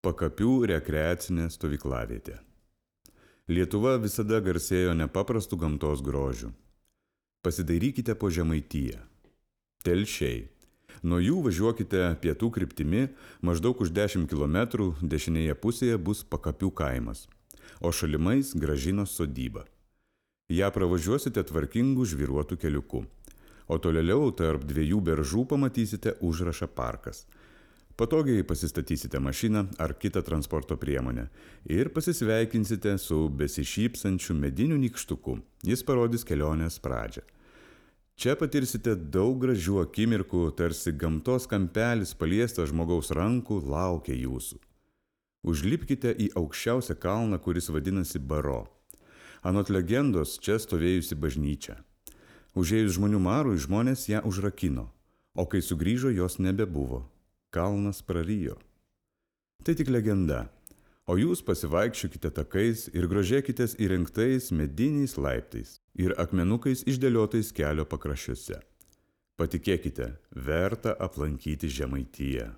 Pakapių rekreacinė stovyklavietė. Lietuva visada garsėjo nepaprastu gamtos grožiu. Pasidairykite po Žemaitiją. Telšiai. Nuo jų važiuokite pietų kryptimi, maždaug už 10 km dešinėje pusėje bus Pakapių kaimas, o šalimais Gražinos sodyba. Ja pravažiuosite tvarkingų žvyruotų keliuku, o tolėliau tarp dviejų beržų pamatysite užrašą parkas. Patogiai pasistatysite mašiną ar kitą transporto priemonę ir pasisveikinsite su besišypsančiu mediniu nykštuku. Jis parodys kelionės pradžią. Čia patirsite daug gražių akimirkų, tarsi gamtos kampelis paliestas žmogaus rankų laukia jūsų. Užlipkite į aukščiausią kalną, kuris vadinasi Baro. Anot legendos, čia stovėjusi bažnyčia. Užėjus žmonių marui, žmonės ją užrakino, o kai sugrįžo, jos nebebuvo. Kalnas prarijo. Tai tik legenda, o jūs pasivaikščiokite takais ir grožėkitės įrengtais mediniais laiptais ir akmenukais išdėliotais kelio pakraščiuose. Patikėkite, verta aplankyti Žemaitiją.